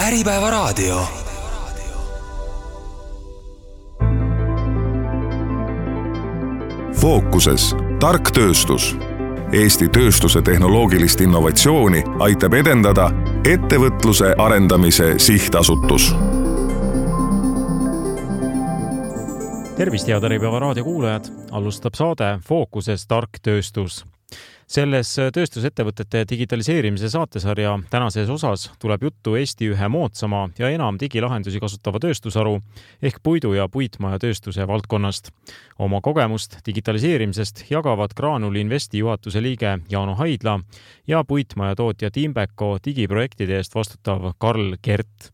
Äripäevaraadio. Fookuses tark tööstus. Eesti tööstuse tehnoloogilist innovatsiooni aitab edendada ettevõtluse arendamise sihtasutus. Tervist, head Äripäevaraadio kuulajad! Alustab saade Fookuses tark tööstus. Selles tööstusettevõtete digitaliseerimise saatesarja tänases osas tuleb juttu Eesti ühe moodsama ja enam digilahendusi kasutava tööstusharu ehk puidu- ja puitmaja tööstuse valdkonnast. Oma kogemust digitaliseerimisest jagavad Graanuli Investi juhatuse liige Jaano Haidla ja puitmaja tootja Timbeko digiprojektide eest vastutav Karl Kert.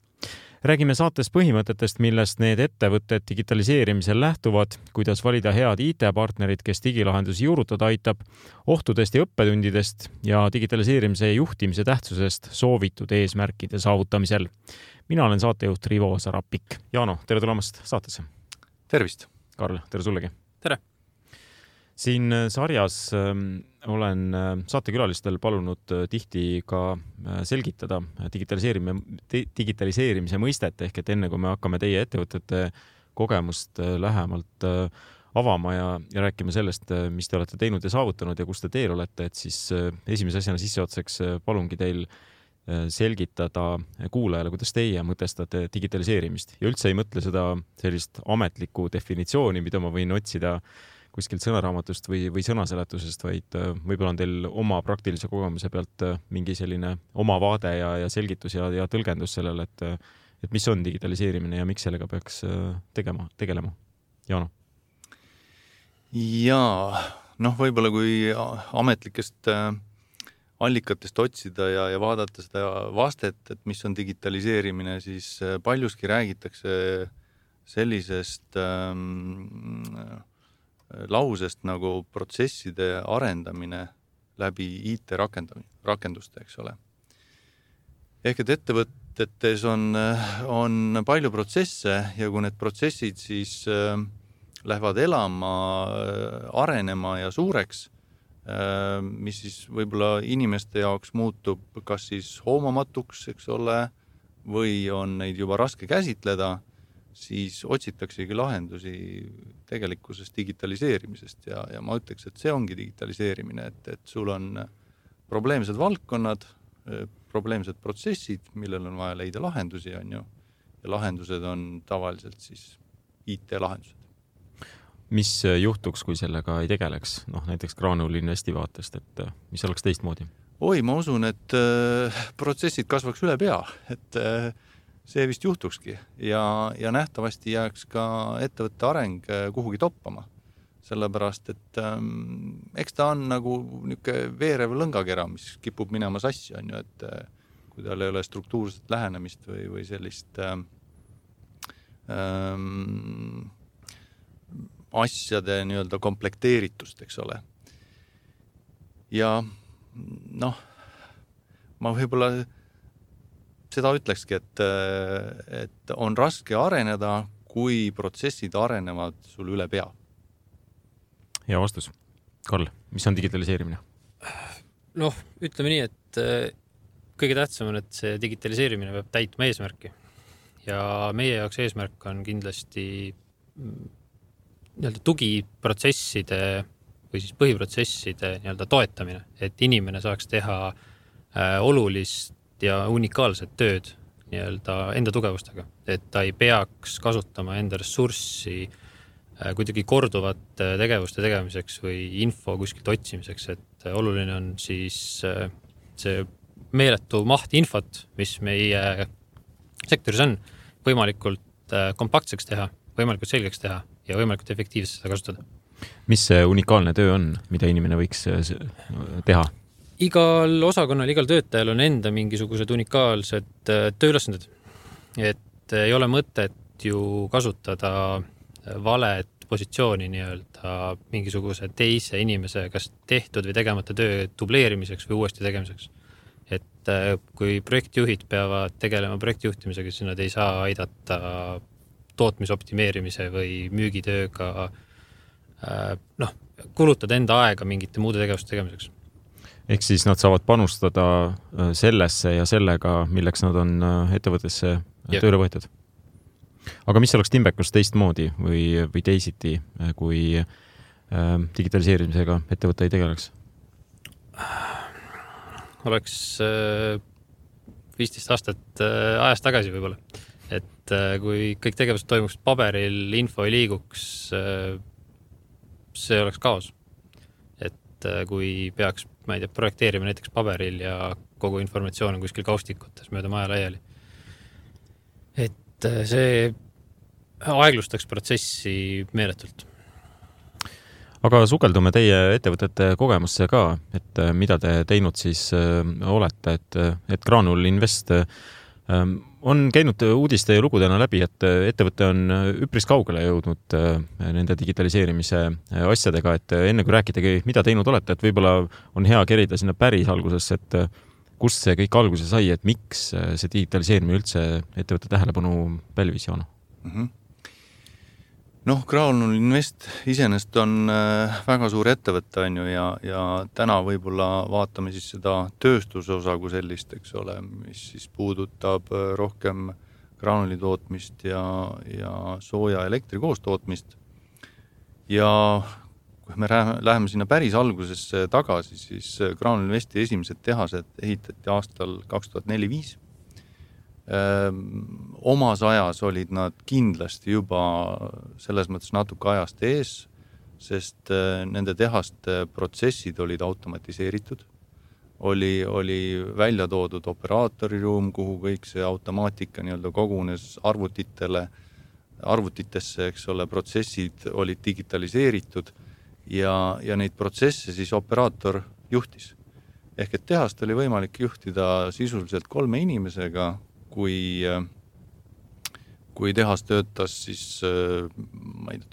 Räägime saates põhimõtetest, millest need ettevõtted digitaliseerimisel lähtuvad, kuidas valida head IT-partnerid, kes digilahendusi juurutada aitab, ohtudest ja õppetundidest ja digitaliseerimise juhtimise tähtsusest soovitud eesmärkide saavutamisel. Mina olen saatejuht Rivo Sarapik. Jaano, tere tulemast saatesse. Tervist. Karl, tere sullegi. Tere. Siin sarjas olen saatekülalistel palunud tihti ka selgitada digitaliseerimise mõistet, ehk et enne kui me hakkame teie ettevõtete kogemust lähemalt avama ja rääkima sellest, mis te olete teinud ja saavutanud ja kus te teel olete, et siis esimese asjana sisseotseks palungi teil selgitada kuulajale, kuidas teie mõtestate digitaliseerimist. Ja üldse ei mõtle seda sellist ametlikku definitsiooni, mida ma võin otsida kuskilt sõnaraamatust või sõnaseletusest, vaid võib-olla on teil oma praktilise kogemuse pealt mingi selline oma vaade ja selgitus ja tõlgendus sellele, et mis on digitaliseerimine ja miks sellega peaks tegelema. Jaano? Jaa, võib-olla kui ametlikest allikatest otsida ja vaadata seda vastet, et mis on digitaliseerimine, siis paljuski räägitakse sellisest lausest nagu protsesside arendamine läbi IT-rakenduste, eks ole. Ehk et ettevõtetes on palju protsesse ja kui need protsessid siis lähevad elama, arenema ja suureks, mis siis võib-olla inimeste jaoks muutub kas siis hoomamatuks, eks ole, või on neid juba raske käsitleda, siis otsitaksegi lahendusi tegelikkusest digitaliseerimisest ja ma ütleks, et see ongi digitaliseerimine, et sul on probleemsed valdkonnad, probleemsed protsessid, millel on vaja leida lahendusi, on ju, ja lahendused on tavaliselt siis IT-lahendused. Mis juhtuks, kui sellega ei tegeleks? Näiteks Graanuli Investi vaatest, et mis oleks teistmoodi? Ma usun, et protsessid kasvaks üle pea, et see vist juhtukski ja nähtavasti jääks ka ettevõtte areng kuhugi toppama. Sellepärast, et eks ta on nagu niisugune veerev lõngakera, mis kipub minema sassi, on ju, et kui tal ei ole struktuurset lähenemist või sellist asjade nii-öelda komplekteeritust, eks ole. Ja ma võib-olla seda ütlekski, et on raske areneda, kui protsessid arenevad sul üle pea. Hea vastus. Karl, mis on digitaliseerimine? Ütleme nii, et kõige tähtsam on, et see digitaliseerimine peab täitma eesmärki. Ja meie jaoks eesmärk on kindlasti tugiprotsesside või siis põhiprotsesside toetamine, et inimene saaks teha olulist ja unikaalset tööd enda tugevustega, et ta ei peaks kasutama enda ressurssi kuidagi korduvat tegevuste tegemiseks või info kuskilt otsimiseks, et oluline on siis see meeletu maht infot, mis meie sektoris on, võimalikult kompaktseks teha, võimalikult selgeks teha ja võimalikult efektiivselt seda kasutada. Mis see unikaalne töö on, mida inimene võiks teha? Igal osakonnal, igal töötajal on enda mingisugused unikaalsed tööülesanded. Et ei ole mõtet ju kasutada valet positsiooni mingisuguse teise inimese kas tehtud või tegemata töö dubleerimiseks või uuesti tegemiseks. Et kui projektijuhid peavad tegelema projektijuhtimisega, siis nad ei saa aidata tootmisoptimeerimise või müügitööga kulutada enda aega mingite muude tegevuste tegemiseks. Ehk siis nad saavad panustada sellesse ja sellega, milleks nad on ettevõttesse tööle võetud. Aga mis oleks Timbekus teistmoodi või teisiti, kui digitaliseerimisega ettevõte ei tegeleks? Oleks 15 aastat ajast tagasi võib-olla. Et kui kõik tegevused toimuks paberil, info ei liiguks, see oleks kaos. Et kui peaks, ma ei tea, projekteerima näiteks paberil ja kogu informatsioon on kuskil kaustikutes mööda maja laiali. Et see aeglustaks protsessi meeletult. Aga sukeldume teie ettevõtete kogemusse ka, et mida te teinud siis olete, et Graanul Invest on käinud uudiste ja lugudena läbi, et ettevõte on üpris kaugele jõudnud nende digitaliseerimise asjadega, et enne kui rääkidagi, mida teinud olete, et võib-olla on hea kerida sinna päris algusesse, et kust see kõik alguse sai, et miks see digitaliseerimine üldse ettevõtte tähelepanu pälvis, Jaano? Graanul Invest iseenesest on väga suur ettevõte on ju ja täna võib-olla vaatame siis seda tööstuse osa kui sellist, eks ole, mis siis puudutab rohkem graanuli tootmist ja sooja elektri koostootmist. Ja kui me läheme sinna päris algusesse tagasi, siis Graanul Investi esimesed tehased ehitati aastal 2004-2005. Omas ajas olid nad kindlasti juba selles mõttes natuke ajast ees, sest nende tehaste protsessid olid automatiseeritud. Oli välja toodud operaatoriruum, kuhu kõik see automaatika nii-öelda kogunes arvutitesse, eks ole, protsessid olid digitaliseeritud ja neid protsesse siis operaator juhtis. Ehk et tehast oli võimalik juhtida sisuliselt 3 inimesega, kui tehas töötas siis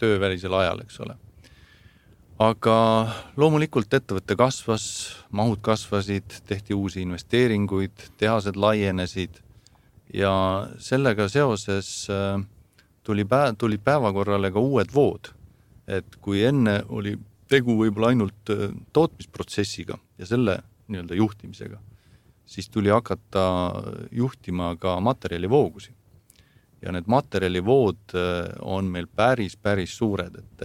töövälisel ajal, eks ole. Aga loomulikult ettevõtte kasvas, mahud kasvasid, tehti uusi investeeringuid, tehased laienesid ja sellega seoses tuli päevakorrale ka uued vood. Et kui enne oli tegu võib-olla ainult tootmisprotsessiga ja selle nii-öelda juhtimisega, siis tuli hakata juhtima ka materjalivoogusi. Ja need materjalivood on meil päris suured, et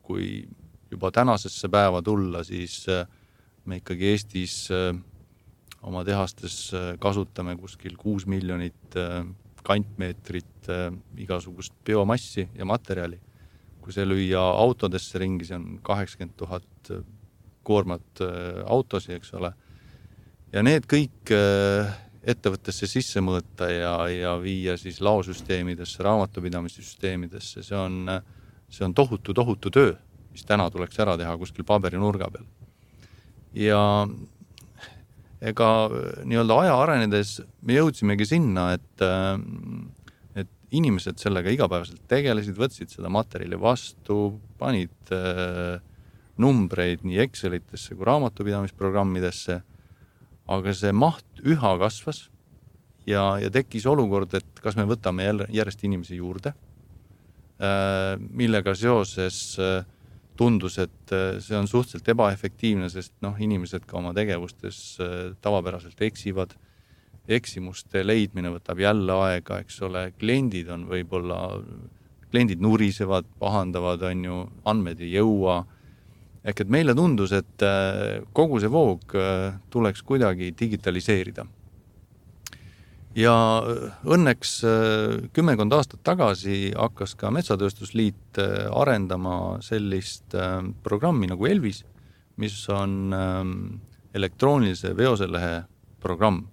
kui juba tänasesse päeva tulla, siis me ikkagi Eestis oma tehastes kasutame kuskil 6 miljonit kantmeetrit igasugust biomassi ja materjali. Kui see lüüa autodesse ringi, see on 80 000 koormat autosi, eks ole. Ja need kõik ettevõttesse sisse mõõta ja viia siis laosüsteemidesse, raamatupidamissüsteemidesse, see on tohutu töö, mis täna tuleks ära teha kuskil paberinurga peal. Ja ega nii-öelda aja arenedes me jõudsimegi sinna, et inimesed sellega igapäevaselt tegelesid, võtsid seda materjali vastu, panid numbreid nii Excelitesse kui raamatupidamisprogrammidesse, aga see maht üha kasvas ja tekkis olukord, et kas me võtame järjest inimesi juurde, millega seoses tundus, et see on suhteliselt ebaefektiivne, sest inimesed ka oma tegevustes tavapäraselt eksivad. Eksimuste leidmine võtab jälle aega, eks ole, kliendid nurisevad, pahandavad, on ju, andmed ei jõua. Ehk et meile tundus, et kogu see voog tuleks kuidagi digitaliseerida. Ja õnneks 10 aastat tagasi hakkas ka Metsatööstusliit arendama sellist programmi nagu Elvis, mis on elektroonilise veoselehe programm.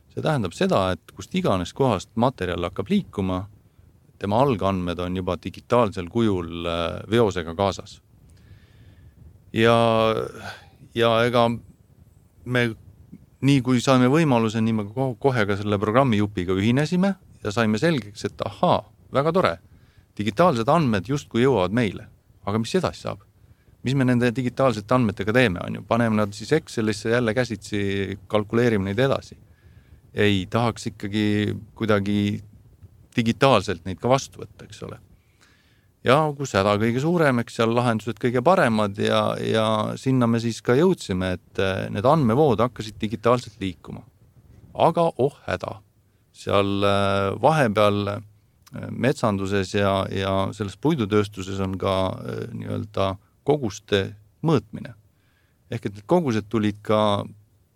See tähendab seda, et kust iganes kohast materjal hakkab liikuma, tema algandmed on juba digitaalsel kujul veosega kaasas. Ja ega me nii kui saime võimaluse, nii me kohe ka selle programmi jupiga ühinesime ja saime selgeks, et väga tore, digitaalsed andmed justkui jõuavad meile. Aga mis edasi saab? Mis me nende digitaalsete andmetega teeme, on ju? Paneme nad siis Excelisse jälle käsitsi, kalkuleerime neid edasi. Ei, tahaks ikkagi kuidagi digitaalselt neid ka vastu võtta, eks ole. ja kus häda kõige suurem, eks seal lahendused kõige paremad ja sinna me siis ka jõudsime, et need andmevood hakkasid digitaalselt liikuma. Aga häda. Seal vahepeal metsanduses ja selles puidutööstuses on ka nii-öelda koguste mõõtmine. Ehk et need kogused tulid ka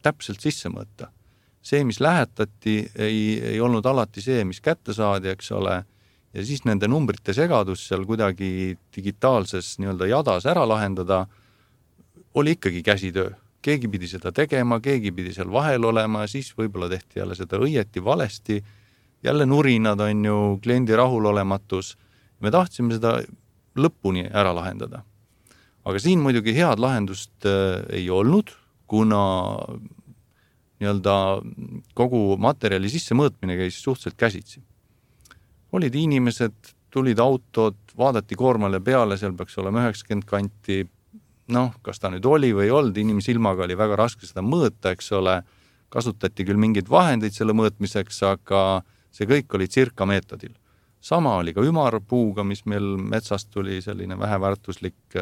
täpselt sisse mõõta. See, mis lähetati, ei olnud alati see, mis kätte saadi, eks ole, ja siis nende numbrite segadus seal kuidagi digitaalses nii-öelda jadas ära lahendada, oli ikkagi käsitöö. Keegi pidi seda tegema, keegi pidi seal vahel olema, siis võib-olla tehti jälle seda õieti valesti, jälle nurinad on ju kliendi rahulolematus. Me tahtsime seda lõpuni ära lahendada. Aga siin muidugi head lahendust ei olnud, kuna nii-öelda kogu materjali sisse mõõtmine käis suhteliselt käsitsi. Olid inimesed, tulid autod, vaadati koormale peale, seal peaks olema 90 kanti, kas ta nüüd oli või ei olnud, inimsilmaga oli väga raske seda mõõta, eks ole, kasutati küll mingeid vahendeid selle mõõtmiseks, aga see kõik oli circa meetodil. Sama oli ka ümarpuuga, mis meil metsast tuli selline väheväärtuslik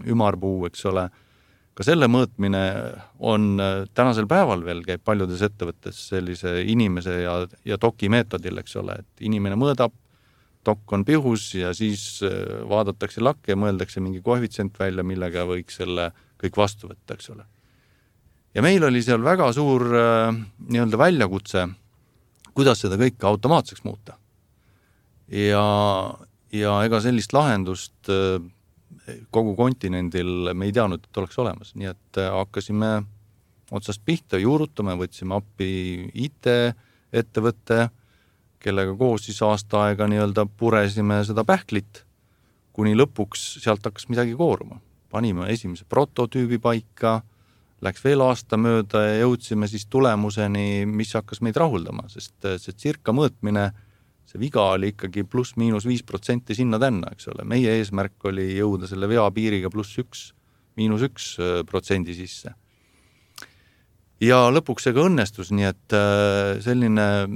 ümarpuu, eks ole. Ka selle mõõtmine on tänasel päeval veel käib paljudes ettevõttes sellise inimese ja doki meetodil, eks ole, et inimene mõõdab, dokk on pihus ja siis vaadatakse lakke ja mõeldakse mingi koefitsient välja, millega võiks selle kõik vastu võtta, eks ole. Ja meil oli seal väga suur nii-öelda väljakutse, kuidas seda kõike automaatseks muuta. Ja ega sellist lahendust kogu kontinendil me ei teadnud, et oleks olemas. Nii et hakkasime otsast pihta, juurutame, võtsime appi IT-ettevõtte, kellega koos siis aasta aega nii-öelda puresime seda pähklit, kuni lõpuks sealt hakkas midagi kooruma. Panime esimese prototüübi paika, läks veel aasta mööda ja jõudsime siis tulemuseni, mis hakkas meid rahuldama, sest see circa mõõtmine, see viga oli ikkagi +-5% sinna tänna, eks ole. Meie eesmärk oli jõuda selle vea piiriga +1% sisse. Ja lõpuks see ka õnnestus, nii et selline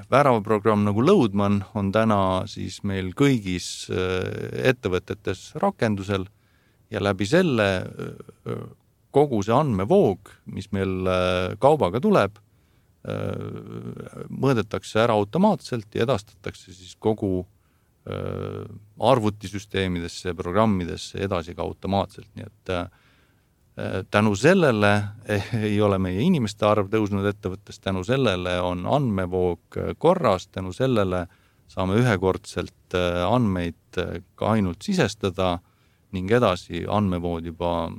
väravaprogramm nagu Loadman on täna siis meil kõigis ettevõtetes rakendusel ja läbi selle kogu see andmevoog, mis meil kaubaga tuleb, mõõdetakse ära automaatselt ja edastatakse siis kogu arvutisüsteemidesse ja programmidesse edasi ka automaatselt. Nii et tänu sellele ei ole meie inimeste arv tõusnud ettevõttes, tänu sellele on andmevoog korras, tänu sellele saame ühekordselt andmeid ka ainult sisestada ning edasi andmevood juba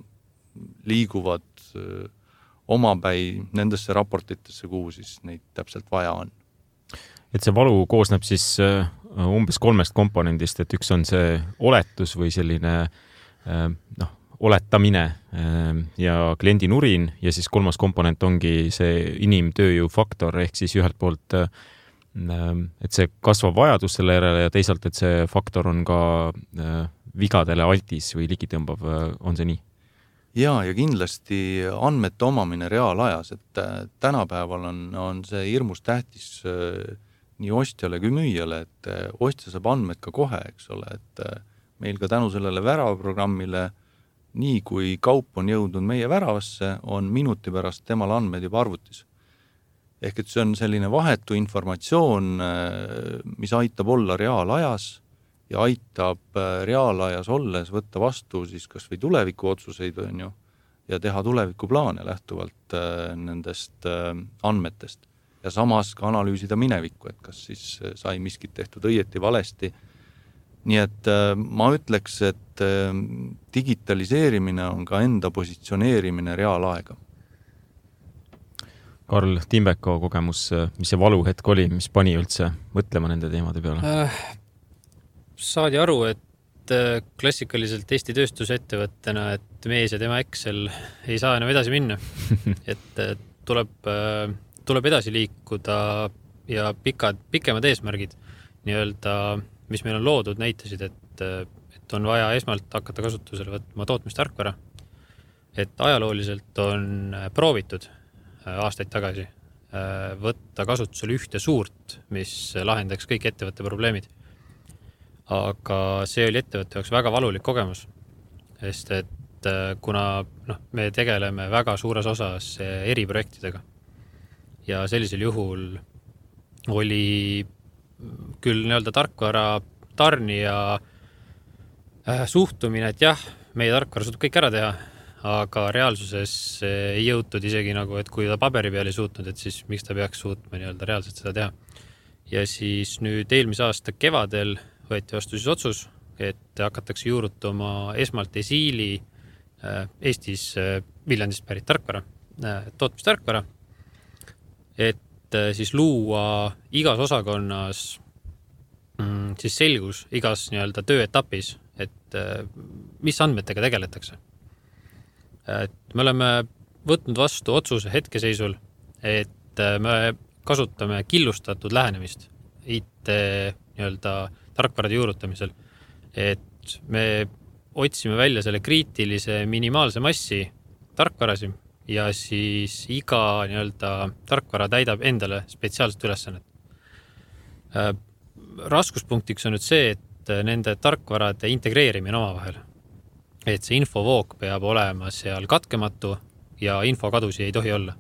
liiguvad omapäi nendesse raportitesse, kuhu siis neid täpselt vaja on. Et see valu koosneb siis umbes 3 komponendist, et üks on see oletus või selline oletamine ja kliendi nurin ja siis 3. komponent ongi see inimtööjõu faktor ehk siis ühelt poolt, et see kasvab vajadus selle järele ja teisalt, et see faktor on ka vigadele altis või ligitõmbav, on see nii? Ja kindlasti andmete omamine reaalajas, et tänapäeval on see hirmus tähtis nii ostjale kui müüjale, et ostja saab andmed ka kohe, eks ole, et meil ka tänu sellele väravaprogrammile, nii kui kaup on jõudnud meie väravasse, on minuti pärast temal andmed juba arvutis. Ehk et see on selline vahetu informatsioon, mis aitab olla reaalajas ja aitab reaalajas olles võtta vastu siis kas või tuleviku otsuseid on ju, ja teha tulevikuplaane lähtuvalt nendest andmetest. Ja samas ka analüüsida minevikku, et kas siis sai miskit tehtud õieti valesti. Nii et ma ütleks, et digitaliseerimine on ka enda positsioneerimine reaalaega. Karl Timbeko kogemus, mis see valuhetk oli, mis pani üldse mõtlema nende teemade peale? Saadi aru, et klassikaliselt Eesti tööstusettevõttena, et mees ja tema Excel ei saa enam edasi minna. Et tuleb edasi liikuda ja pikemad eesmärgid, nii-öelda, mis meil on loodud, näitasid, et on vaja esmalt hakata kasutusele võtma tootmistarkvara. Et ajalooliselt on proovitud aastaid tagasi võtta kasutusele ühte suurt, mis lahendaks kõik ettevõtte probleemid. aga see oli ettevõtte jaoks väga valulik kogemus, sest et kuna me tegeleme väga suures osas eriprojektidega ja sellisel juhul oli küll nii-öelda tarkvara tarnija suhtumine, et jah, meie tarkvara suutub kõik ära teha, aga reaalsuses ei jõutud isegi nagu, et kui ta paberi peal ei suutnud, et siis miks ta peaks suutma nii-öelda reaalselt seda teha. Ja siis nüüd eelmise aasta kevadel võeti vastu siis otsus, et hakatakse juurutama esmalt Esiili Eestis Viljandist pärit tarkvara, tootmistarkvara, et siis luua igas osakonnas siis selgus igas nii-öelda tööetapis, et mis andmetega tegeletakse. Et me oleme võtnud vastu otsuse hetkeseisul, et me kasutame killustatud lähenemist IT nii-öelda tarkvarade juurutamisel, et me otsime välja selle kriitilise minimaalse massi tarkvarasi ja siis iga nii-öelda tarkvara täidab endale spetsiaalset ülesannet. Raskuspunktiks on nüüd see, et nende tarkvarade integreerimine omavahel. Et see infovoog peab olema seal katkematu ja infokadusi ei tohi olla.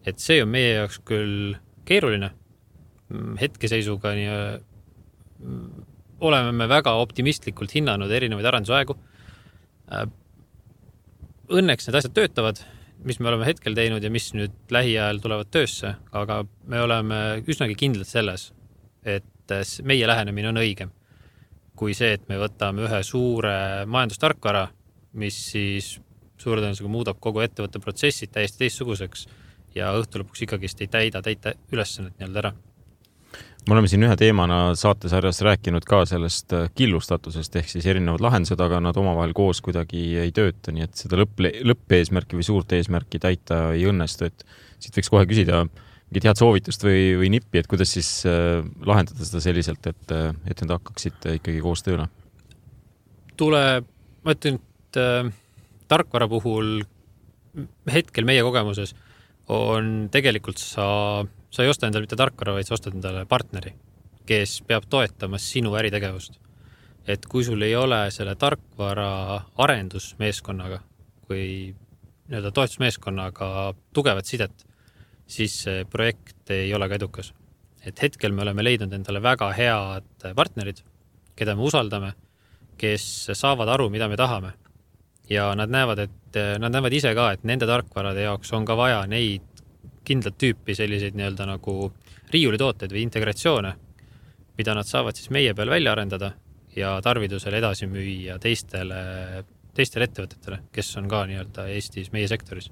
Et see on meie jaoks küll keeruline. Hetkeseisuga oleme me väga optimistlikult hinnanud erinevaid arendusaegu. Õnneks need asjad töötavad, mis me oleme hetkel teinud ja mis nüüd lähiajal tulevad töösse, aga me oleme üsnagi kindlad selles, et meie lähenemine on õigem kui see, et me võtame ühe suure majandustarkvara, mis siis suure tõenäosusega muudab kogu ettevõtte protsessid täiesti teistsuguseks ja õhtu lõpuks ikkagist ei täida ülesannet nii-öelda ära. Me oleme siin ühe teemana saatesarjas rääkinud ka sellest killustatusest ehk siis erinevad lahendused, aga nad omavahel koos kuidagi ei tööta, nii et seda lõppeesmärki või suurt eesmärki täita ei õnnestu. Et siit võiks kohe küsida mingit head soovitust või nippi, et kuidas siis lahendada seda selliselt, et need hakkaksid ikkagi koos tööle? Ma ütlen, et tarkvara puhul hetkel meie kogemuses on tegelikult sa ei osta endale mitte tarkvara, vaid sa ostad endale partneri, kes peab toetama sinu äritegevust. Et kui sul ei ole selle tarkvara arendusmeeskonnaga või nii-öelda toetusmeeskonnaga tugevat sidet, siis see projekt ei ole ka edukas. Et hetkel me oleme leidnud endale väga head partnerid, keda me usaldame, kes saavad aru, mida me tahame. Ja nad näevad ise ka, et nende tarkvarade jaoks on ka vaja neid kindlat tüüpi selliseid nii-öelda nagu riiulitooteid või integratsioone, mida nad saavad siis meie peal välja arendada ja tarvidusel edasi müüa teistele ettevõtetele, kes on ka nii-öelda Eestis meie sektoris.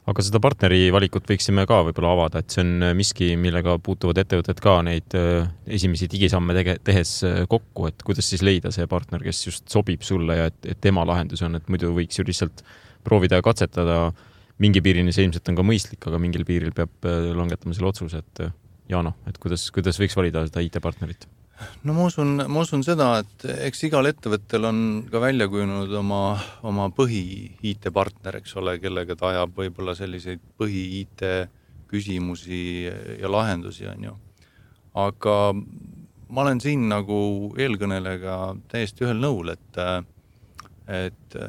Aga seda partneri valikut võiksime ka võib-olla avada, et see on miski, millega puutuvad ettevõtted ka neid esimesi digisamme tehes kokku, et kuidas siis leida see partner, kes just sobib sulle ja et tema lahendus on, et muidu võiks ju lihtsalt proovida ja katsetada. Mingi piirini see ilmselt on ka mõistlik, aga mingil piiril peab langetama selle otsuse, et Jaano, et kuidas võiks valida seda IT-partnerit? No ma usun seda, et eks igal ettevõttel on ka välja kujunenud oma põhi IT-partner, eks ole, kellega ta ajab võib-olla selliseid põhi IT küsimusi ja lahendusi on ju. Aga ma olen siin nagu eelkõnelega täiesti ühel nõul, et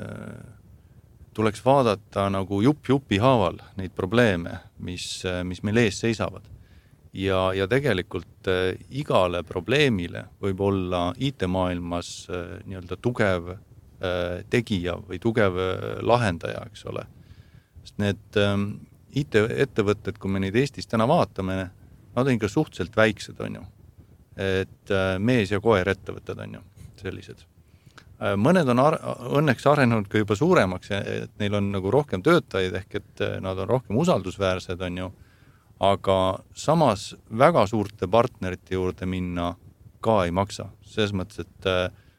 tuleks vaadata nagu jupi haaval neid probleeme, mis meil ees seisavad. Ja tegelikult igale probleemile võib olla IT-maailmas nii-öelda tugev tegija või tugev lahendaja, eks ole. Sest need IT-ettevõtted, kui me neid Eestis täna vaatame, nad on ikka suhteliselt väiksed, on ju. Et mees ja koer ettevõtted on ju sellised. Mõned on õnneks arenenud ka juba suuremaks, et neil on nagu rohkem töötajaid ehk et nad on rohkem usaldusväärsed, on ju. Aga samas väga suurte partnerite juurde minna ka ei maksa. Selles mõttes, et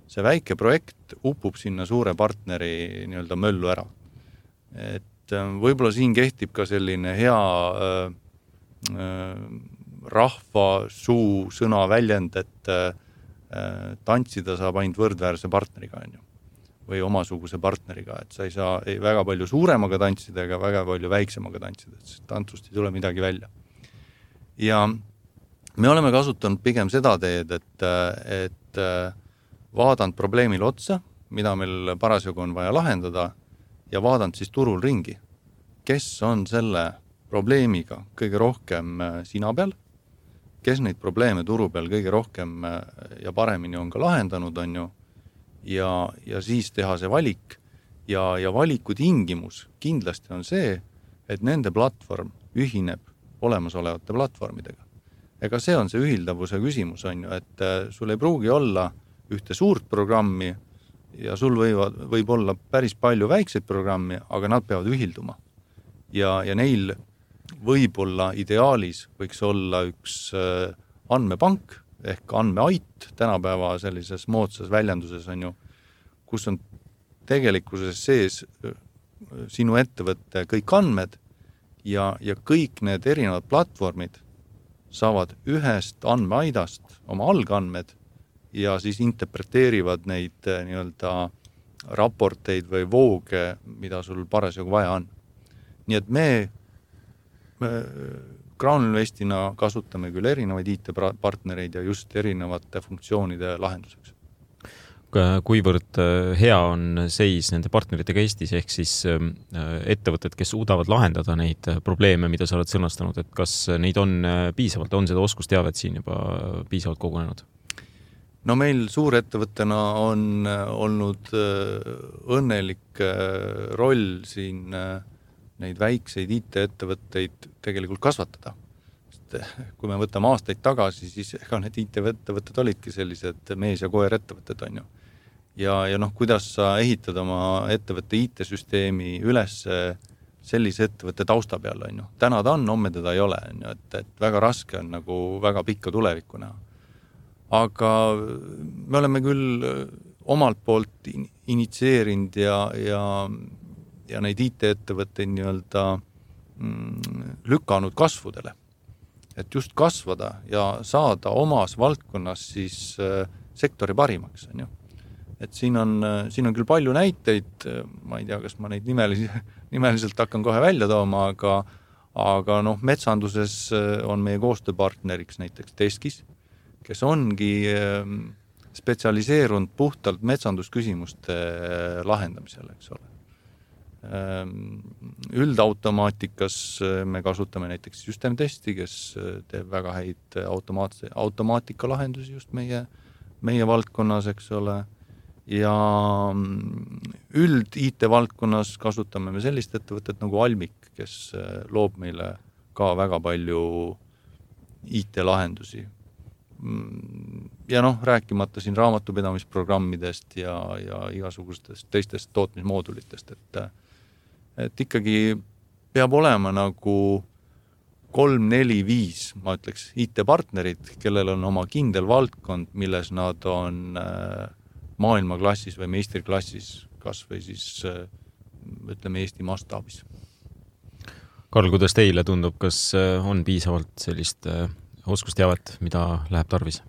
see väike projekt upub sinna suure partneri nii-öelda möllu ära. Et võib-olla siin kehtib ka selline hea rahva suu sõna väljend, et tantsida saab ainult võrdväärse partneriga, on ju. Või omasuguse partneriga, et sa ei saa väga palju suuremaga tantsida ega väga palju väiksemaga tantsida, et tantsust ei tule midagi välja. Ja me oleme kasutanud pigem seda teed, et vaadanud probleemile otsa, mida meil parasjagu on vaja lahendada ja vaadanud siis turul ringi, kes on selle probleemiga kõige rohkem sina peal, kes neid probleeme turu peal kõige rohkem ja paremini on ka lahendanud, on ju, ja siis teha see valik ja valiku tingimus kindlasti on see, et nende platvorm ühineb olemasolevate platvormidega. Ega see on see ühildavuse küsimus, on ju, et sul ei pruugi olla ühte suurt programmi ja sul võib olla päris palju väikseid programmi, aga nad peavad ühilduma. Ja neil võib-olla ideaalis võiks olla üks andmepank ehk andmeait tänapäeva sellises moodsas väljenduses, on ju, kus on tegelikkuses sees sinu ettevõtte kõik andmed ja kõik need erinevad platvormid saavad ühest andmeaidast oma algandmed ja siis interpreteerivad neid nii-öelda raporteid või vooge, mida sul parasjagu vaja on. Nii et me Crowninvestina kasutame küll erinevaid IT-partnereid ja just erinevate funktsioonide lahenduseks. Kuivõrd hea on seis nende partneritega Eestis, ehk siis ettevõtted, kes suudavad lahendada neid probleeme, mida sa oled sõnastanud, et kas neid on piisavalt, on seda oskusteavet siin juba piisavalt kogunenud? No meil suurettevõttena on olnud õnnelik roll siin neid väikseid IT-ettevõtteid tegelikult kasvatada. Kui me võtame aastaid tagasi, siis ega need IT-ettevõtted olidki sellised mees- ja koer ettevõtted, on ju. Ja kuidas sa ehitad oma ettevõtte IT-süsteemi üles sellise ettevõtte tausta peal, on ju. Täna ta on, homme teda ei ole, on ju, et väga raske on nagu väga pikka tulevikku näha. Aga me oleme küll omalt poolt initsieerinud ja neid IT-ettevõtteid nii-öelda lükanud kasvudele. Et just kasvada ja saada omas valdkonnas siis sektori parimaks, on ju. Et siin on küll palju näiteid, ma ei tea, kas ma neid nimeliselt hakkan kohe välja tooma, aga metsanduses on meie koostööpartneriks näiteks Teskis, kes ongi spetsialiseerunud puhtalt metsandusküsimuste lahendamisele, eks ole. Üldautomaatikas me kasutame näiteks Systemtesti, kes teeb väga häid automaatika lahendusi just meie valdkonnas, eks ole. Ja üld IT-valdkonnas kasutame me sellist ettevõtet nagu Almik, kes loob meile ka väga palju IT-lahendusi. Ja rääkimata siin raamatupidamisprogrammidest ja igasugustest teistest tootmismoodulitest, et ikkagi peab olema nagu 3, 4, 5, ma ütleks, IT-partnerid, kellel on oma kindel valdkond, milles nad on maailmaklassis või meistriklassis, kas või siis ütleme Eesti mastaabis. Karl, kuidas teile tundub, kas on piisavalt sellist oskusteavet, mida läheb tarvis?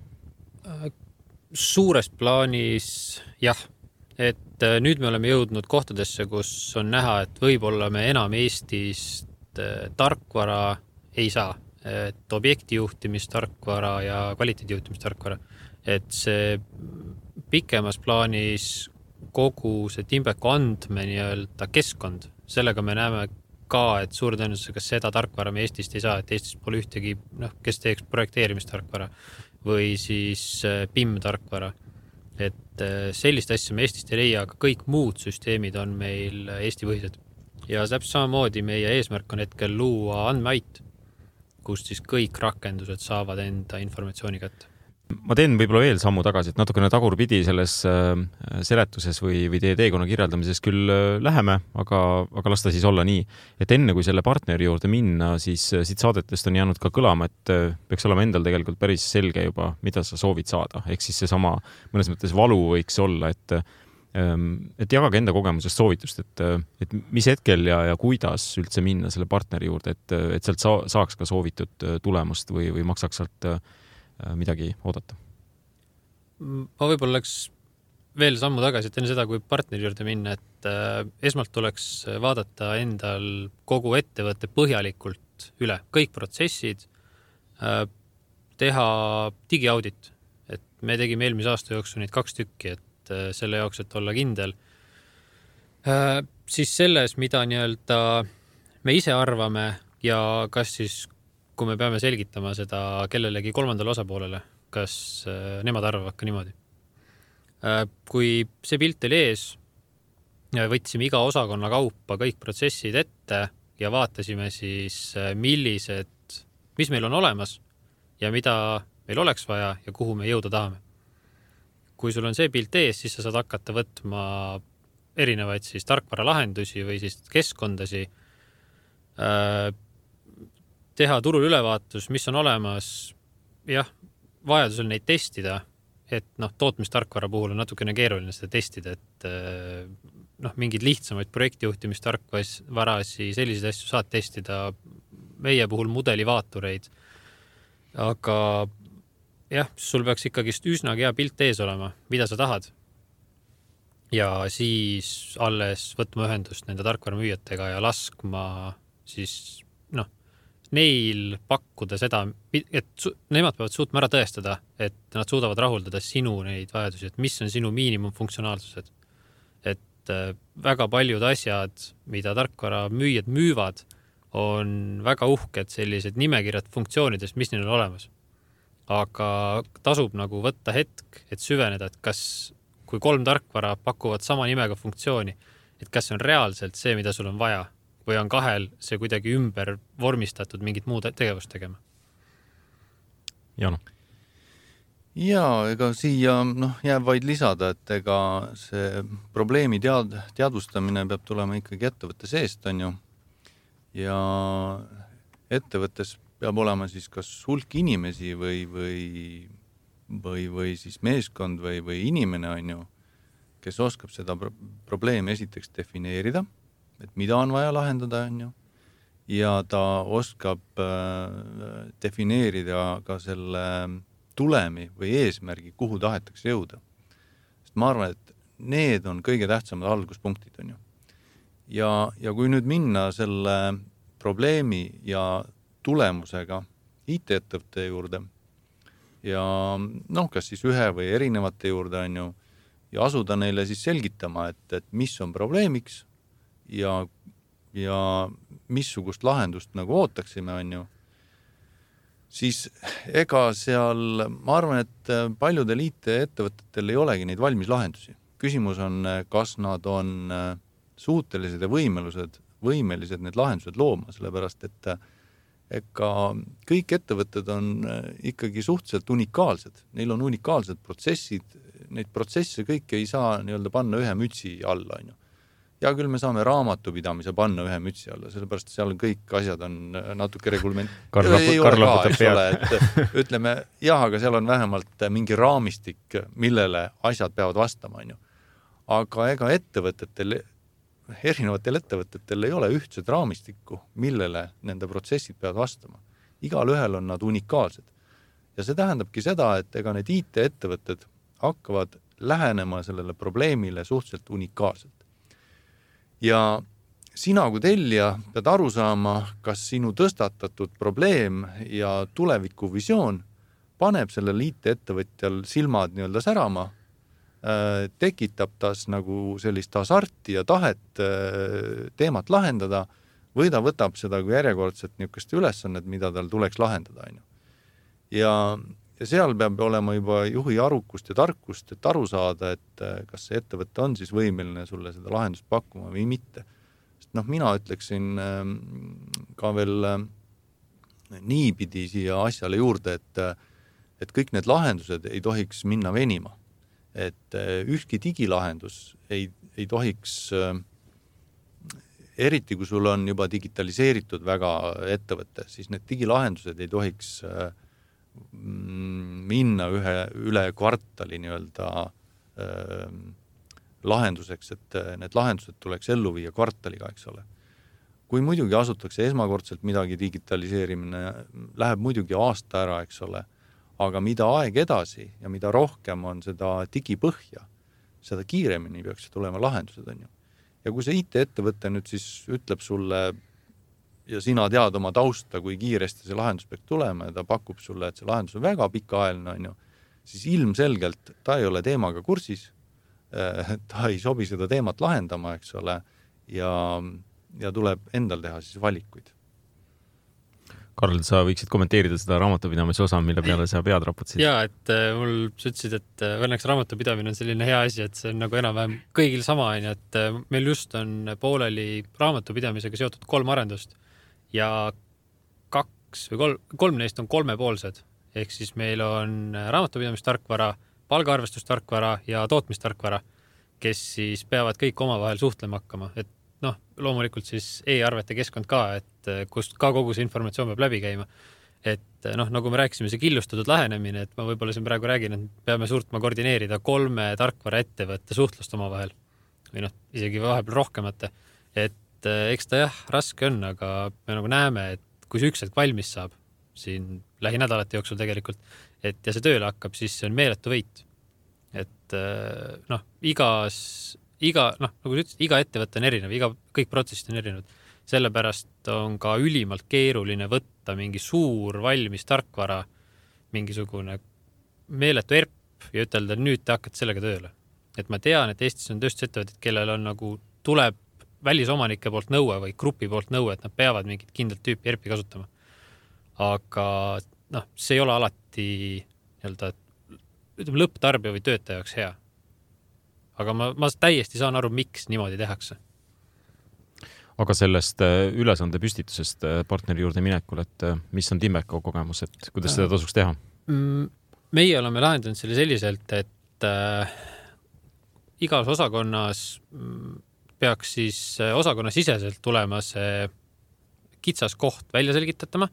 Suures plaanis jah, et nüüd me oleme jõudnud kohtadesse, kus on näha, et võib-olla me enam Eestist tarkvara ei saa, et objektijuhtimistarkvara ja kvaliteedijuhtimistarkvara, et see pikemas plaanis kogu see Timbeku andme nii-öelda keskkond, sellega me näeme ka, et suur tõenäosusega seda tarkvara me Eestist ei saa, et Eestis pole ühtegi, kes teeks projekteerimistarkvara või siis PIM-tarkvara. Et sellist asja me Eestist ei leia, aga kõik muud süsteemid on meil Eesti põhised. Ja täpselt samamoodi meie eesmärk on hetkel luua andmeait, kus siis kõik rakendused saavad enda informatsiooni kätte. Ma teen võib-olla veel sammu tagasi, et natukene tagurpidi selles seletuses või teie teekonna kirjeldamises küll läheme, aga las ta siis olla nii, et enne kui selle partneri juurde minna, siis siit saadetest on jäänud ka kõlama, et peaks olema endal tegelikult päris selge juba, mida sa soovid saada. Ehk siis see sama mõnes mõttes valu võiks olla, et jagage enda kogemusest soovitust, et mis hetkel ja kuidas üldse minna selle partneri juurde, et sealt saaks ka soovitud tulemust või maksaks sealt midagi oodata. Ma võib-olla oleks veel sammu tagasi, et enne seda, kui partneri juurde minna, et esmalt tuleks vaadata endal kogu ettevõtte põhjalikult üle, kõik protsessid, teha digiaudit, et me tegime eelmise aasta jooksul neid 2 tükki, et selle jaoks, et olla kindel. Siis selles, mida nii-öelda me ise arvame ja kas siis, kui me peame selgitama seda kellelegi kolmandale osapoolele, kas nemad arvavad ka niimoodi. Kui see pilt oli ees, võtsime iga osakonna kaupa kõik protsessid ette ja vaatasime siis, mis meil on olemas ja mida meil oleks vaja ja kuhu me jõuda tahame. Kui sul on see pilt ees, siis sa saad hakata võtma erinevaid siis tarkvaralahendusi või siis keskkondasi, teha turul ülevaatus, mis on olemas, vajadusel neid testida, et tootmistarkvara puhul on natukene keeruline seda testida, et mingid lihtsamaid projektijuhtimistarkvarasi, selliseid asju saad testida, meie puhul mudelivaatureid, aga sul peaks ikkagi üsnagi hea pilt ees olema, mida sa tahad. Ja siis alles võtma ühendust nende tarkvaramüüjatega ja laskma siis, neil pakkuda seda, et nemad peavad suutma ära tõestada, et nad suudavad rahuldada sinu neid vajadusi, et mis on sinu miinimumfunktsionaalsused. Et väga paljud asjad, mida tarkvaramüüjad müüvad, on väga uhked sellised nimekirjad funktsioonidest, mis neil on olemas. Aga tasub nagu võtta hetk, et süveneda, et kui 3 tarkvara pakuvad sama nimega funktsiooni, et kas see on reaalselt see, mida sul on vaja, või on 2 see kuidagi ümber vormistatud mingit muud tegevust tegema. Jano. Ega siia jääb vaid lisada, et ega see probleemi teadvustamine peab tulema ikkagi ettevõtte seest, on ju. Ja ettevõttes peab olema siis kas hulk inimesi või siis meeskond või inimene, on ju, kes oskab seda probleemi esiteks defineerida, et mida on vaja lahendada, on ju, ja ta oskab defineerida ka selle tulemi või eesmärgi, kuhu tahetakse jõuda. Sest ma arvan, et need on kõige tähtsamad alguspunktid, on ju. Ja kui nüüd minna selle probleemi ja tulemusega IT-ettevõtte juurde ja kas siis ühe või erinevate juurde, on ju, ja asuda neile siis selgitama, et mis on probleemiks ja missugust lahendust nagu ootaksime, on ju, siis ega seal, ma arvan, et paljudel IT-ettevõtetel ei olegi neid valmis lahendusi. Küsimus on, kas nad on suutelised ja võimelised need lahendused looma, sellepärast, et ega kõik ettevõtted on ikkagi suhteliselt unikaalsed. Neil on unikaalsed protsessid, neid protsesse kõik ei saa nii-öelda panna ühe mütsi alla, on ju. Ja küll me saame raamatupidamise panna ühe mütsi alla, sellepärast seal kõik asjad on natuke regulment. Karl laputab pead. Ütleme, aga seal on vähemalt mingi raamistik, millele asjad peavad vastama, on ju. Aga ega erinevatel ettevõtetel ei ole ühtset raamistikku, millele nende protsessid peavad vastama. Igal ühel on nad unikaalsed. Ja see tähendabki seda, et ega need IT-ettevõtted hakkavad lähenema sellele probleemile suhteliselt unikaalselt. Ja sina kui tellija pead aru saama, kas sinu tõstatatud probleem ja tulevikuvisioon paneb sellel IT-ettevõtjal silmad nii-öelda särama, tekitab tas nagu sellist hasarti ja tahet teemat lahendada või ta võtab seda kui järjekordset niisugust ülesannet, mida tal tuleks lahendada. Ja seal peab olema juba juhi arukust ja tarkust, et aru saada, et kas see ettevõte on siis võimeline sulle seda lahendust pakkuma või mitte. Sest mina ütleksin ka veel niipidi siia asjale juurde, et kõik need lahendused ei tohiks minna venima. Et ükski digilahendus ei tohiks, eriti kui sul on juba digitaliseeritud väga ettevõte, siis need digilahendused ei tohiks minna üle kvartali nii-öelda lahenduseks, et need lahendused tuleks ellu viia kvartaliga, eks ole. Kui muidugi asutakse esmakordselt midagi digitaliseerimine, läheb muidugi aasta ära, eks ole, aga mida aeg edasi ja mida rohkem on seda digipõhja, seda kiiremini peaks tulema lahendused, on ju. Ja kui see IT-ettevõte nüüd siis ütleb sulle ja sina tead oma tausta, kui kiiresti see lahendus peaks tulema ja ta pakub sulle, et see lahendus on väga pikaajaline, on ju, siis ilmselgelt ta ei ole teemaga kursis, ta ei sobi seda teemat lahendama, eks ole, ja tuleb endal teha siis valikuid. Karl, sa võiksid kommenteerida seda raamatupidamise osa, mille peale sa pead raputasid? Jaa, et mul sa ütlesid, et õnneks raamatupidamine on selline hea asi, et see on nagu enam-vähem kõigil sama, et meil just on pooleli raamatupidamisega seotud 3 arendust ja 2 või 3 neist on 3-poolsed. Ehk siis meil on raamatupidamistarkvara, palgaarvestustarkvara ja tootmistarkvara, kes siis peavad kõik omavahel suhtlema hakkama. Et loomulikult siis e-arvete keskkond ka, et kust ka kogu see informatsioon peab läbi käima. Et nagu me rääkisime, see killustatud lähenemine, et ma võib-olla siin praegu räägin, et peame suutma koordineerida 3 tarkvara ettevõtte suhtlust omavahel või isegi vahepeal rohkemate. Et eks ta jah, raske on, aga me nagu näeme, et kui see üks hetk valmis saab siin lähinädalate jooksul tegelikult, et ja see tööle hakkab, siis see on meeletu võit. Et nagu sa ütlesid, iga ettevõte on erinev, kõik protsessid on erinevad. Sellepärast on ka ülimalt keeruline võtta mingi suur valmis tarkvara, mingisugune meeletu ERP ja ütelda, et nüüd te hakkate sellega tööle. Et ma tean, et Eestis on tööstusettevõtted, kellel on nagu tuleb välisomanike poolt nõue või grupi poolt nõue, et nad peavad mingit kindlat tüüpi ERP-i kasutama. Aga see ei ole alati lõpptarbija või töötaja jaoks hea. Aga ma täiesti saan aru, miks niimoodi tehakse. Aga sellest ülesande püstitusest partneri juurde minekul, et mis on Timbeko kogemus, et kuidas seda tasuks teha? Meie oleme lahendanud selle selliselt, et igas osakonnas peaks siis osakonna siseselt tulema see kitsas koht välja selgitatama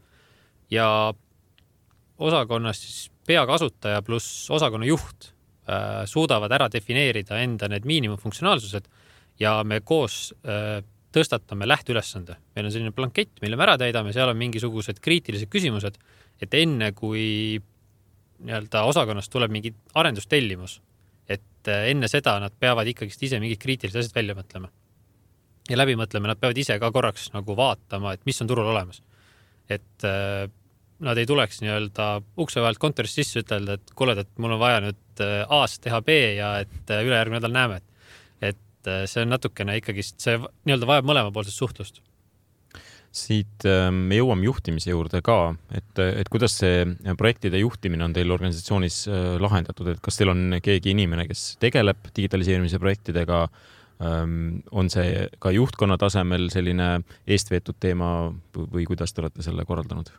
ja osakonnas siis peakasutaja pluss osakonna juht suudavad ära defineerida enda need miinimumfunktsionaalsused ja me koos tõstatame lähteülesande. Meil on selline blankett, mille me ära täidame, seal on mingisugused kriitilised küsimused, et enne kui osakonnast tuleb mingi arendustellimus, et enne seda nad peavad ikkagi ise mingid kriitilised asjad välja mõtlema. Ja läbi mõtlema, nad peavad ise ka korraks nagu vaatama, et mis on turul olemas. Et nad ei tuleks ukse vahelt kontorist sisse ütelda, et kuule, et mul on vaja nüüd A-st teha B ja et ülejärgmine nädal näeme. Et see on natukene ikkagi, see vajab mõlemapoolsest suhtlust. Siit me jõuame juhtimise juurde ka, et kuidas see projektide juhtimine on teil organisatsioonis lahendatud, et kas teil on keegi inimene, kes tegeleb digitaliseerimise projektidega, on see ka juhtkonna tasemel selline eestveetud teema või kuidas te olete selle korraldanud?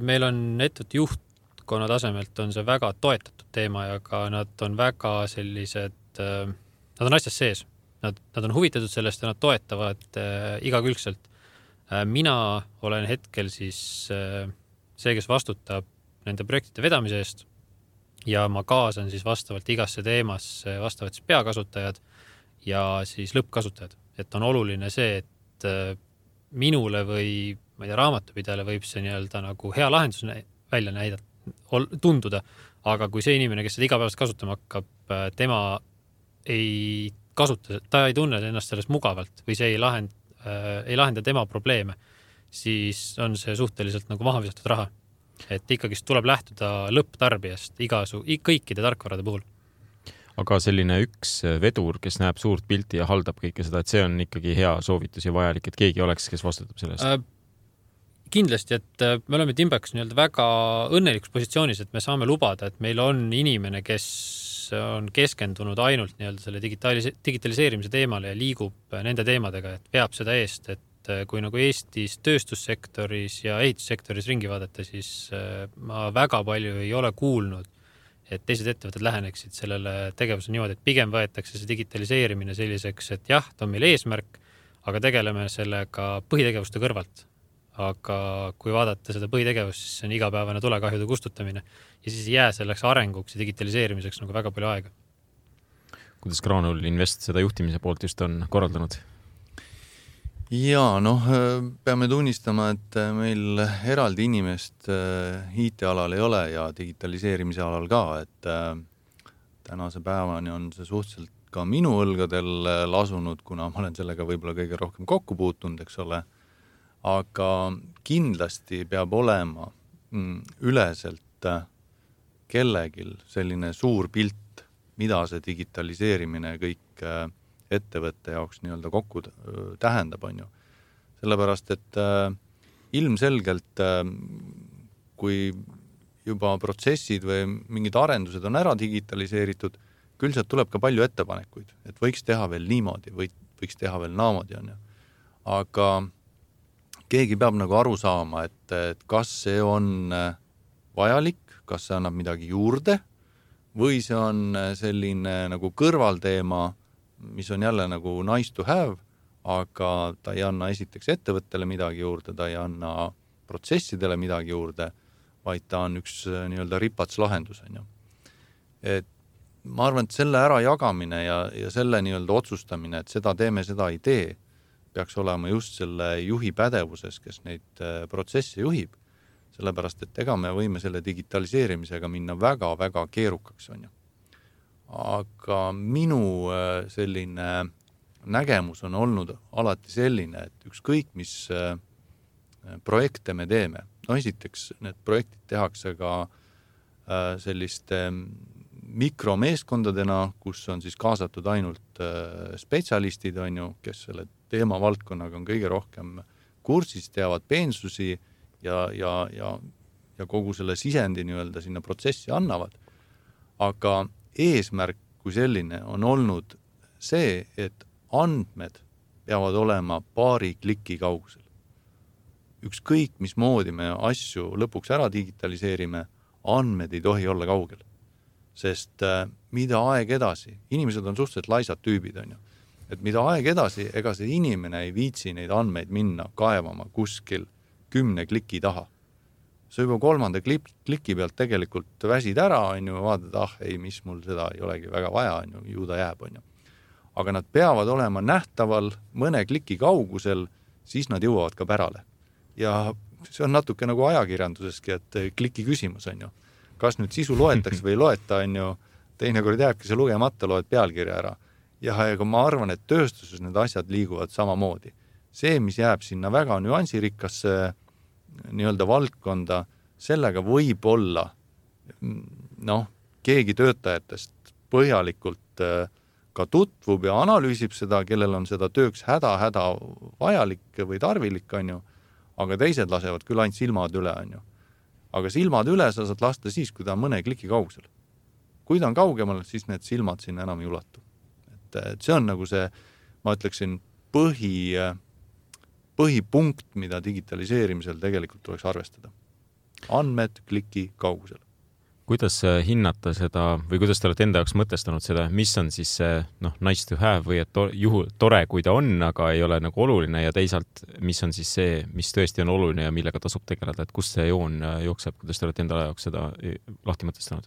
Meil on ettevõtte juhtkonna tasemelt on see väga toetatud teema ja ka nad on väga sellised, nad on asjas sees. Nad on huvitatud sellest ja nad toetavad igakülgselt. Mina olen hetkel siis see, kes vastutab nende projektide vedamise eest ja ma kaasan siis vastavalt igasse teemasse vastavalt siis peakasutajad ja siis lõppkasutajad. Et on oluline see, et minule või raamatupidajale võib see nagu hea lahendus välja tunduda, aga kui see inimene, kes seda igapäevast kasutama hakkab, tema ei kasuta, ta ei tunne ennast sellest mugavalt või see ei lahenda tema probleeme, siis on see suhteliselt nagu maha visatud raha. Et ikkagi tuleb lähtuda lõpptarbijast kõikide tarkvarade puhul. Aga selline üks vedur, kes näeb suurt pilti ja haldab kõike seda, et see on ikkagi hea soovitus ja vajalik, et keegi oleks, kes vastutab sellest? Kindlasti, et me oleme Timbeks väga õnnelikus positsioonis, et me saame lubada, et meil on inimene, kes on keskendunud ainult selle digitaliseerimise teemale ja liigub nende teemadega, et veab seda eest, et kui nagu Eestis tööstussektoris ja ehitussektoris ringi vaadata, siis ma väga palju ei ole kuulnud, et teised ettevõtted läheneksid sellele tegevuse niimoodi, et pigem võetakse see digitaliseerimine selliseks, et jah, ta on meil eesmärk, aga tegeleme sellega põhitegevuste kõrvalt. Aga kui vaadata seda põhitegevust, siis see on igapäevane tulekahjude kustutamine ja siis ei jää selleks arenguks ja digitaliseerimiseks nagu väga palju aega. Kuidas Granul Invest seda juhtimise poolt just on korraldanud? Jaa, peame tunnistama, et meil eraldi inimest IT-alal ei ole ja digitaliseerimise alal ka, et tänase päevani on see suhteliselt ka minu õlgadel lasunud, kuna ma olen sellega võib-olla kõige rohkem kokku puutunud, eks ole. Aga kindlasti peab olema üleselt kellegil selline suur pilt, mida see digitaliseerimine kõik ettevõtte jaoks nii-öelda kokku tähendab, on ju. Sellepärast, et ilmselgelt, kui juba protsessid või mingid arendused on ära digitaliseeritud, küll sealt tuleb ka palju ettepanekuid, et võiks teha veel niimoodi, võiks teha veel naamoodi, on ju. Aga keegi peab nagu aru saama, et kas see on vajalik, kas see annab midagi juurde või see on selline nagu kõrvalteema, mis on jälle nagu nice to have, aga ta ei anna esiteks ettevõttele midagi juurde, ta ei anna protsessidele midagi juurde, vaid ta on üks nii-öelda ripats lahendus, on ju. Et ma arvan, et selle ära jagamine ja selle nii-öelda otsustamine, et seda teeme, seda ei tee, peaks olema just selle juhi pädevuses, kes neid protsesse juhib. Sellepärast, et ega me võime selle digitaliseerimisega minna väga-väga keerukaks, on ju. Aga minu selline nägemus on olnud alati selline, et ükskõik, mis projekte me teeme. No esiteks, need projektid tehakse ka selliste mikromeeskondadena, kus on siis kaasatud ainult spetsialistid, on ju, kes selle teemavaldkonnaga on kõige rohkem kursis, teavad peensusi ja kogu selle sisendi nii-öelda sinna protsessi annavad. Aga eesmärk kui selline on olnud see, et andmed peavad olema paari kliki kaugusel. Ükskõik, mismoodi me asju lõpuks ära digitaliseerime, andmed ei tohi olla kaugel. Sest mida aeg edasi, inimesed on suhteliselt laisad tüübid, on ju. Et mida aeg edasi, ega see inimene ei viitsi neid andmeid minna kaevama kuskil 10 kliki taha. See juba 3. kliki pealt tegelikult väsid ära, on ju, vaatad, ei, mis mul seda ei olegi väga vaja, on ju, ju ta jääb, on ju. Aga nad peavad olema nähtaval mõne kliki kaugusel, siis nad jõuavad ka pärale. Ja see on natuke nagu ajakirjanduseski, et kliki küsimus, on ju. Kas nüüd sisu loetakse või ei loeta, on ju, teinekord jääbki see lugemata, loed pealkirja ära. Ja ega ma arvan, et tööstuses need asjad liiguvad samamoodi. See, mis jääb sinna väga nüansirikkasse nii-öelda valdkonda, sellega võib olla keegi töötajatest põhjalikult ka tutvub ja analüüsib seda, kellel on seda tööks häda vajalik või tarvilik, on ju, aga teised lasevad küll ainult silmad üle, on ju. Aga silmad üle sa saad lasta siis, kui ta on mõne kliki kaugusel. Kui ta on kaugemal, siis need silmad sinna enam ei ulatu. Et see on nagu see, ma ütleksin, põhipunkt, mida digitaliseerimisel tegelikult tuleks arvestada. Andmed kliki kaugusel. Kuidas hinnata seda või kuidas te olete enda jaoks mõtestanud seda, mis on siis see nice to have või et tore, kui ta on, aga ei ole nagu oluline ja teisalt, mis on siis see, mis tõesti on oluline ja millega tasub tegeleda, et kust see joon jookseb, kuidas te olete enda jaoks seda lahti mõtestanud?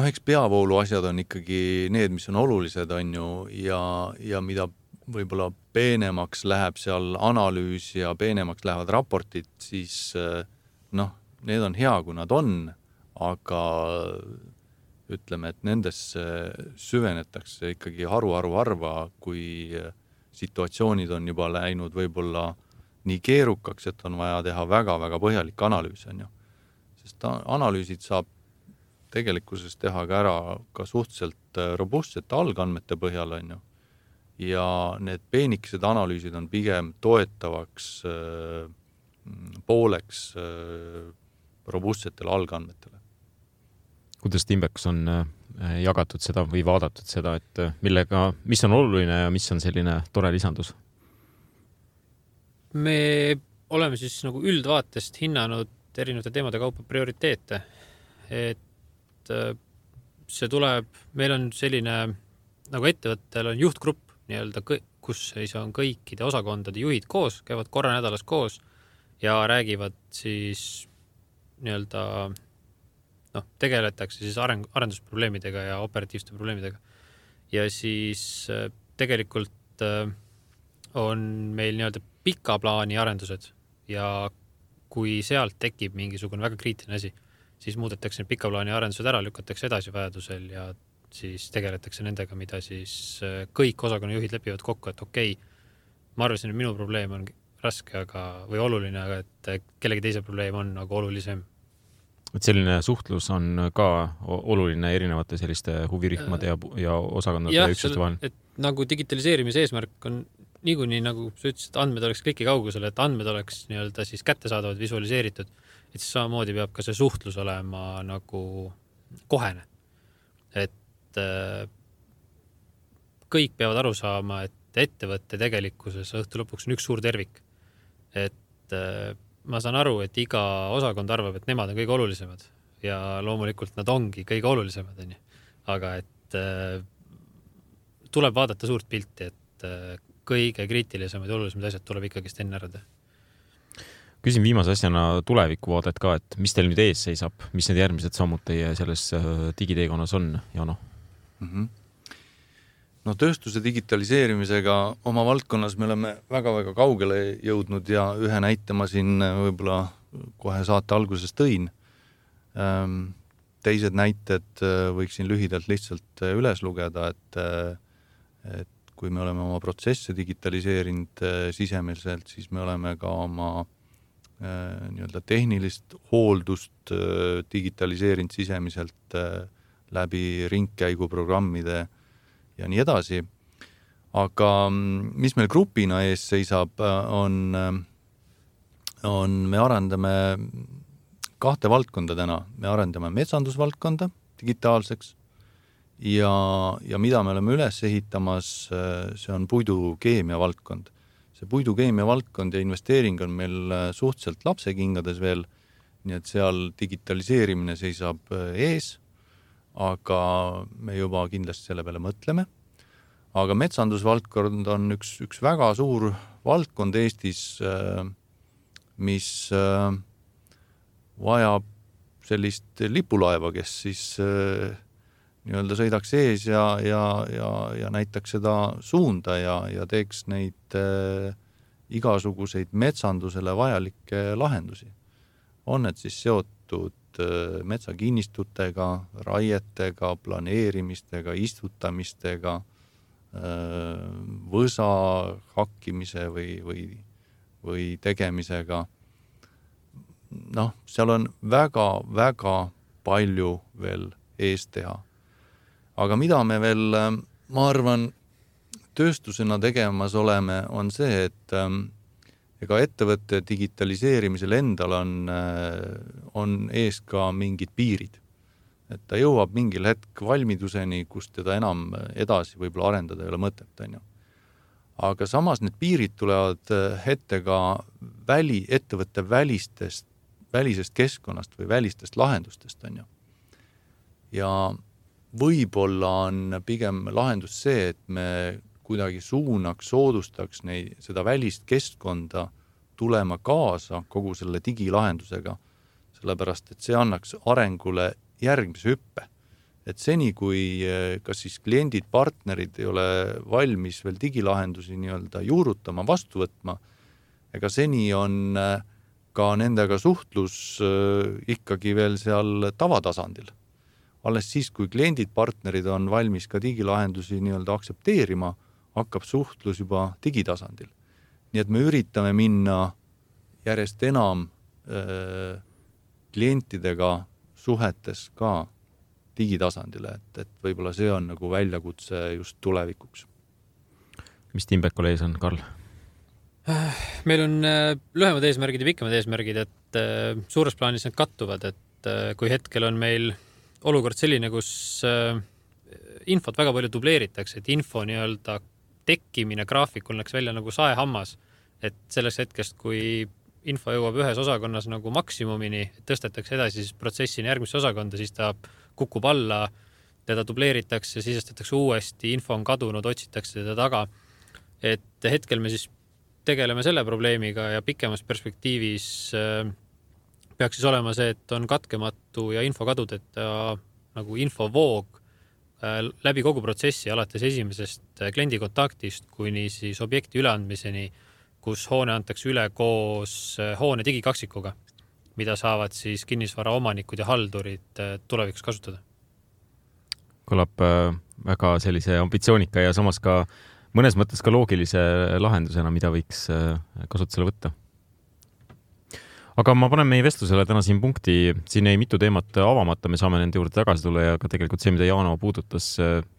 Eks peavoolu asjad on ikkagi need, mis on olulised, on ju, ja mida võib-olla peenemaks läheb seal analüüs ja peenemaks lähevad raportid, siis need on hea, kui nad on, aga ütleme, et nendesse süvenetakse ikkagi harva, kui situatsioonid on juba läinud võib-olla nii keerukaks, et on vaja teha väga-väga põhjalik analüüs, on ju. Sest analüüsid saab tegelikkuses teha ka ära ka suhteliselt robustsete algandmete põhjal, on ju. Ja need peenikesed analüüsid on pigem toetavaks pooleks robustsetele algandmetele. Kuidas Timbekus on jagatud seda või vaadatud seda, et mis on oluline ja mis on selline tore lisandus? Me oleme siis nagu üldvaatest hinnanud erinevate teemade kaupa prioriteete. Et see tuleb, meil on selline, nagu ettevõttel on juhtgrupp, nii-öelda, kus siis on kõikide osakondade juhid koos, käivad korra nädalas koos ja räägivad siis nii-öelda tegeletakse siis arendusprobleemidega ja operatiivsete probleemidega. Ja siis tegelikult on meil nii-öelda pika plaani arendused ja kui sealt tekib mingisugune väga kriitiline asi, siis muudetakse pika plaani arendused ära, lükatakse edasi vajadusel ja siis tegeletakse nendega, mida siis kõik osakonnajuhid lepivad kokku, et okei, ma arvasin, et minu probleem on raske või oluline, aga et kellegi teise probleem on nagu olulisem. Et selline suhtlus on ka oluline erinevate selliste huvirühmade ja osakondade üksuste vahel. Et nagu digitaliseerimise eesmärk on niikuinii, nagu sa ütlesid, andmed oleks kliki kaugusel, et andmed oleks nii-öelda siis kättesaadavad, visualiseeritud, et siis samamoodi peab ka see suhtlus olema nagu kohene. Et kõik peavad aru saama, et ettevõtte tegelikkuses õhtu lõpuks on üks suur tervik. Et ma saan aru, et iga osakond arvab, et nemad on kõige olulisemad ja loomulikult nad ongi kõige olulisemad, aga et tuleb vaadata suurt pilti, et kõige kriitilisemad ja olulisemad asjad tuleb ikkagi enne ära teha. Küsin viimase asjana tulevikuvaadet ka, et mis teil nüüd ees seisab, mis need järgmised sammud teie selles digiteekonnas on, Jano? No tööstuse digitaliseerimisega oma valdkonnas me oleme väga-väga kaugele jõudnud ja ühe näite ma siin võib-olla kohe saate alguses tõin. Teised näited võiksin lühidalt lihtsalt üles lugeda, et kui me oleme oma protsesse digitaliseerinud sisemiselt, siis me oleme ka oma nii-öelda tehnilist hooldust digitaliseerinud sisemiselt läbi ringkäiguprogrammide ja nii edasi. Aga mis meil grupina ees seisab, me arendame 2 valdkonda täna. Me arendame metsandusvaldkonda digitaalseks ja mida me oleme üles ehitamas, see on puidukeemia valdkond. See puidukeemia valdkond ja investeering on meil suhteliselt lapsekingades veel, nii et seal digitaliseerimine seisab ees, aga me juba kindlasti selle peale mõtleme. Aga metsandusvaldkond on üks väga suur valdkond Eestis, mis vajab sellist lipulaeva, kes siis nii-öelda sõidaks ees ja näitaks seda suunda ja teeks neid igasuguseid metsandusele vajalikke lahendusi. On need siis seotud metsakinnistutega, raietega, planeerimistega, istutamistega, võsa hakkimise või tegemisega. Seal on väga-väga palju veel ees teha. Aga mida me veel, ma arvan, tööstusena tegemas oleme, on see, et ega ettevõtte digitaliseerimisel endal on ees ka mingid piirid. Et ta jõuab mingil hetk valmiduseni, kus teda enam edasi võib-olla arendada ei ole mõtet. Aga samas need piirid tulevad ette ka ettevõtte välisest keskkonnast või välistest lahendustest. Ja võib-olla on pigem lahendus see, et me kuidagi soodustaks seda välist keskkonda tulema kaasa kogu selle digilahendusega, sellepärast et see annaks arengule järgmise hüppe. Et seni, kui kas siis kliendid, partnerid ei ole valmis veel digilahendusi nii-öelda juurutama, vastu võtma, ega seni on ka nendega suhtlus ikkagi veel seal tavatasandil. Alles siis, kui kliendid, partnerid on valmis ka digilahendusi nii-öelda aksepteerima, hakkab suhtlus juba digitasandil. Nii et me üritame minna järjest enam klientidega suhetes ka digitasandile, et võib-olla see on nagu väljakutse just tulevikuks. Mis Timbekol ees on, Karl? Meil on lühemad eesmärgid ja pikemad eesmärgid, et suures plaanis need kattuvad, et kui hetkel on meil olukord selline, kus infot väga palju dubleeritakse, et info nii-öelda tekkimine graafikul läks välja nagu saehammas, et selles hetkest, kui info jõuab ühes osakonnas nagu maksimumini, tõstetakse edasi siis protsessini järgmisse osakonda, siis ta kukub alla, teda dubleeritakse, sisestatakse uuesti, info on kadunud, otsitakse teda taga. Et hetkel me siis tegeleme selle probleemiga ja pikemas perspektiivis peaks siis olema see, et on katkematu ja info kadudeta nagu infovoog läbi kogu protsessi, alates esimesest kliendi kontaktist kuni siis objekti üleandmiseni, kus hoone antakse üle koos hoone digikaksikuga, mida saavad siis kinnisvara omanikud ja haldurid tulevikus kasutada. Kõlab väga sellise ambitsioonika ja samas ka mõnes mõttes ka loogilise lahendusena, mida võiks kasutusele võtta. Aga ma panen meie vestlusele täna siin punkti, siin ei mitu teemat avamata, me saame nende juurde tagasi tulla ja ka tegelikult see, mida Jaano puudutas,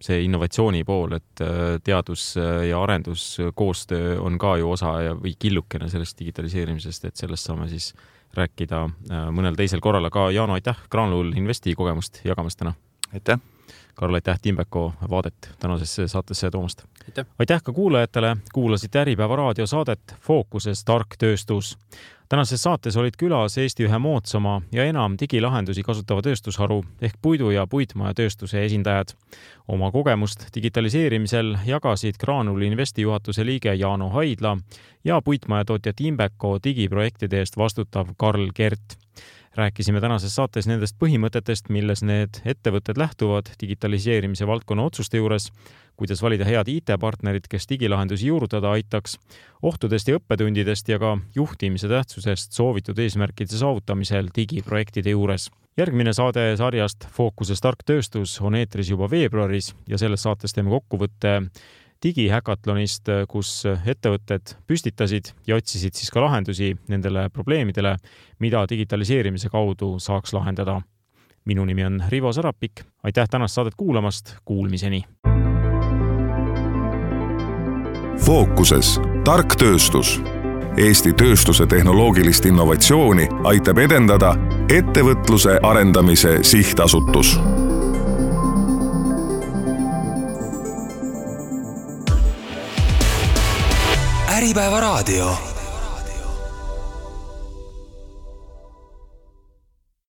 see innovatsiooni pool, et teadus ja arendus koostöö on ka ju osa või killukene sellest digitaliseerimisest, et sellest saame siis rääkida mõnel teisel korral, aga Jaano, aitäh Granul Investi kogemust jagamast täna. Aitäh! Karl, aitäh Timbeko vaadet tänasesse saatesse toomast. Aitäh ka kuulajatele, kuulasite Äripäeva raadio saadet Fookuses tark tööstus. Tänases saates olid külas Eesti ühe moodsama ja enam digilahendusi kasutava tööstusharu ehk puidu- ja puitmajatööstuse esindajad. Oma kogemust digitaliseerimisel jagasid Granul Investi juhatuse liige Jaano Haidla ja puitmajatootja Timbeko digiprojektide eest vastutav Karl Kert. Rääkisime tänases saates nendest põhimõtetest, milles need ettevõtted lähtuvad digitaliseerimise valdkonna otsuste juures, kuidas valida head IT-partnerid, kes digilahendusi juurutada aitaks, ohtudest ja õppetundidest ja ka juhtimise tähtsusest soovitud eesmärkide saavutamisel digiprojektide juures. Järgmine saade sarjast Fookuses tark tööstus on eetris juba veebruaris ja selles saates teeme kokkuvõtte digihäkatlonist, kus ettevõtted püstitasid ja otsisid siis ka lahendusi nendele probleemidele, mida digitaliseerimise kaudu saaks lahendada. Minu nimi on Rivo Sarapik. Aitäh tänast saadet kuulamast. Kuulmiseni. Fookuses tark tööstus. Eesti tööstuse tehnoloogilist innovatsiooni aitab edendada Ettevõtluse arendamise sihtasutus. Äripäeva raadio.